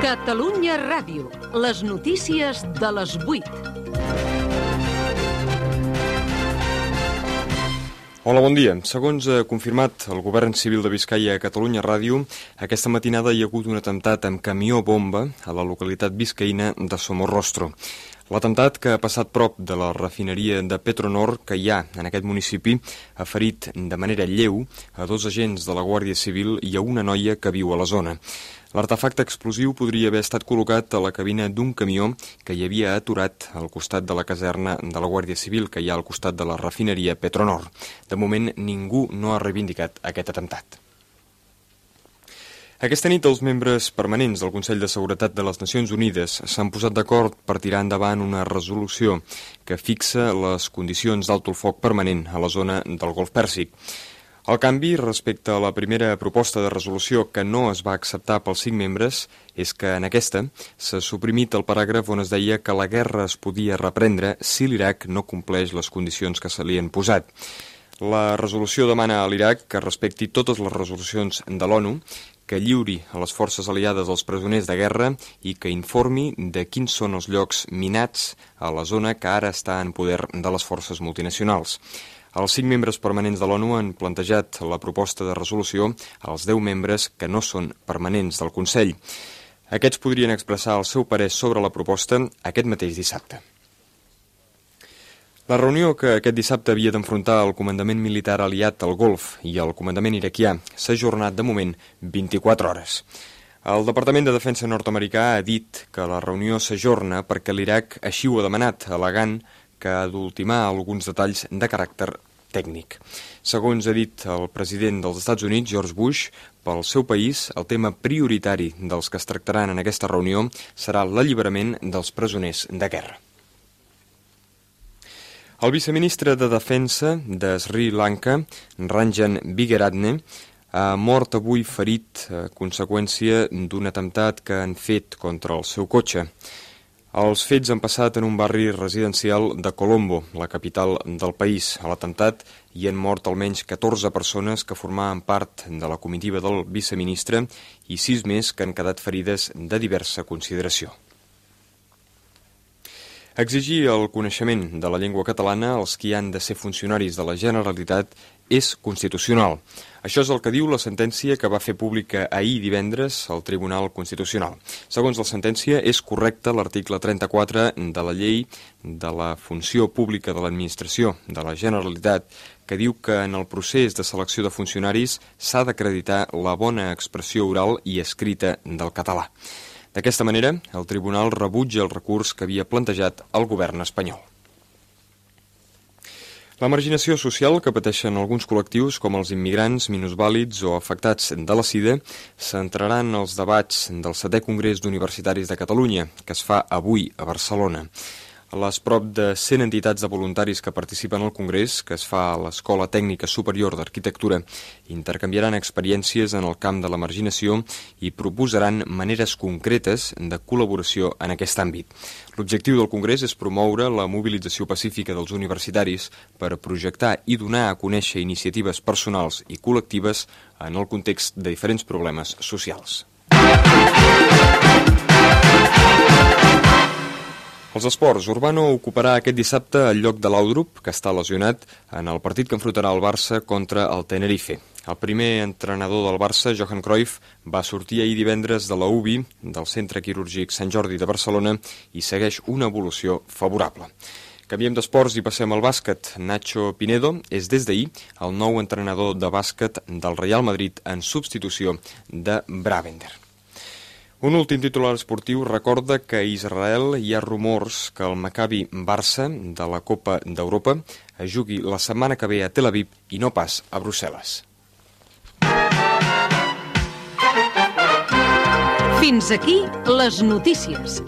Catalunya Ràdio. Les notícies de les 8. Hola, bon dia. Segons ha confirmat el govern civil de Biscaia a Catalunya Ràdio, aquesta matinada hi ha hagut un atemptat amb camió-bomba a la localitat biscaïna de Somorrostro. L'atemptat, que ha passat prop de la refineria de Petronor que hi ha en aquest municipi, ha ferit de manera lleu a 2 agents de la Guàrdia Civil i a una noia que viu a la zona. L'artefacte explosiu podria haver estat col·locat a la cabina d'un camió que hi havia aturat al costat de la caserna de la Guàrdia Civil que hi ha al costat de la refineria Petronor. De moment, ningú no ha reivindicat aquest atemptat. Aquesta nit, els membres permanents del Consell de Seguretat de les Nacions Unides s'han posat d'acord per tirar endavant una resolució que fixa les condicions d'alto el foc permanent a la zona del Golf Pèrsic. El canvi respecte a la primera proposta de resolució que no es va acceptar pels 5 membres és que en aquesta s'ha suprimit el paràgraf on es deia que la guerra es podia reprendre si l'Iraq no compleix les condicions que se li han posat. La resolució demana a l'Iraq que respecti totes les resolucions de l'ONU, que lliuri a les forces aliades els presoners de guerra i que informi de quins són els llocs minats a la zona que ara està en poder de les forces multinacionals. Els 5 membres permanents de l'ONU han plantejat la proposta de resolució als 10 membres que no són permanents del Consell. Aquests podrien expressar el seu parer sobre la proposta aquest mateix dissabte. La reunió que aquest dissabte havia d'enfrontar el comandament militar aliat al Golf i el comandament iraquià s'ha ajornat de moment 24 hores. El Departament de Defensa nord-americà ha dit que la reunió s'ajorna perquè l'Iraq així ho ha demanat, al·legant que ha d'ultimar alguns detalls de caràcter tècnic. Segons ha dit el president dels Estats Units, George Bush, pel seu país el tema prioritari dels que es tractaran en aquesta reunió serà l'alliberament dels presoners de guerra. El viceministre de Defensa de Sri Lanka, Ranjan Vigeratne, ha mort avui ferit a conseqüència d'un atemptat que han fet contra el seu cotxe. Els fets han passat en un barri residencial de Colombo, la capital del país. A l'atemptat hi han mort almenys 14 persones que formaven part de la comitiva del viceministre i 6 més que han quedat ferides de diversa consideració. Exigir el coneixement de la llengua catalana als qui han de ser funcionaris de la Generalitat és constitucional. Això és el que diu la sentència que va fer pública ahir divendres al Tribunal Constitucional. Segons la sentència, és correcte l'article 34 de la Llei de la Funció Pública de l'Administració de la Generalitat, que diu que en el procés de selecció de funcionaris s'ha d'acreditar la bona expressió oral i escrita del català. D'aquesta manera, el Tribunal rebutja el recurs que havia plantejat el govern espanyol. La marginació social que pateixen alguns col·lectius, com els immigrants, minusvàlids o afectats de la sida, centraran els debats del 7è Congrés d'Universitaris de Catalunya, que es fa avui a Barcelona. Les prop de 100 entitats de voluntaris que participen al Congrés, que es fa a l'Escola Tècnica Superior d'Arquitectura, intercanviaran experiències en el camp de la marginació i proposaran maneres concretes de col·laboració en aquest àmbit. L'objectiu del Congrés és promoure la mobilització pacífica dels universitaris per projectar i donar a conèixer iniciatives personals i col·lectives en el context de diferents problemes socials. Els esports. Urbano ocuparà aquest dissabte el lloc de Laudrup, que està lesionat, en el partit que enfrontarà el Barça contra el Tenerife. El primer entrenador del Barça, Johan Cruyff, va sortir ahir divendres de la UBI, del Centre Quirúrgic Sant Jordi de Barcelona, i segueix una evolució favorable. Canviem d'esports i passem al bàsquet. Nacho Pinedo és des d'ahir el nou entrenador de bàsquet del Real Madrid en substitució de Bravender. Un últim titular esportiu recorda que a Israel hi ha rumors que el Maccabi Barça de la Copa d'Europa es jugui la setmana que ve a Tel Aviv i no pas a Brussel·les. Fins aquí les notícies.